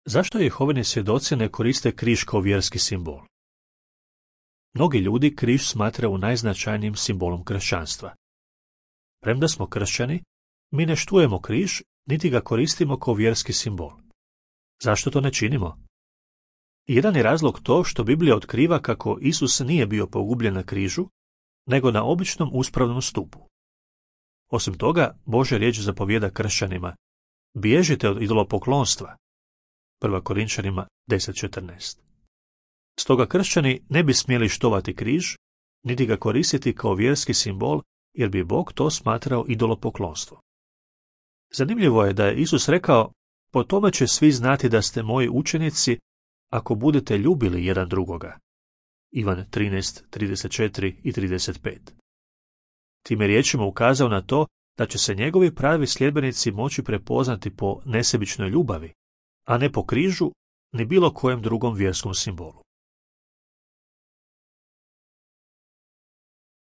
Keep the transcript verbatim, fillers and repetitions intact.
Zašto Jehovini svjedoci ne koriste križ kao vjerski simbol? Mnogi ljudi križ smatraju najznačajnijim simbolom kršćanstva. Premda smo kršćani, mi ne štujemo križ, niti ga koristimo kao vjerski simbol. Zašto to ne činimo? Jedan je razlog to što Biblija otkriva kako Isus nije bio pogubljen na križu, nego na običnom uspravnom stupu. Osim toga, Božja riječ zapovijeda kršćanima: bježite od idolopoklonstva. Prva Korinčanima deset četrnaest. Stoga kršćani ne bi smjeli štovati križ, niti ga koristiti kao vjerski simbol, jer bi Bog to smatrao idolopoklonstvo. Zanimljivo je da je Isus rekao: po tome će svi znati da ste moji učenici, ako budete ljubili jedan drugoga. Ivan trinaest trideset četiri i trideset pet. Time riječima ukazao na to da će se njegovi pravi sljedbenici moći prepoznati po nesebičnoj ljubavi, a ne po križu ni bilo kojem drugom vjerskom simbolu.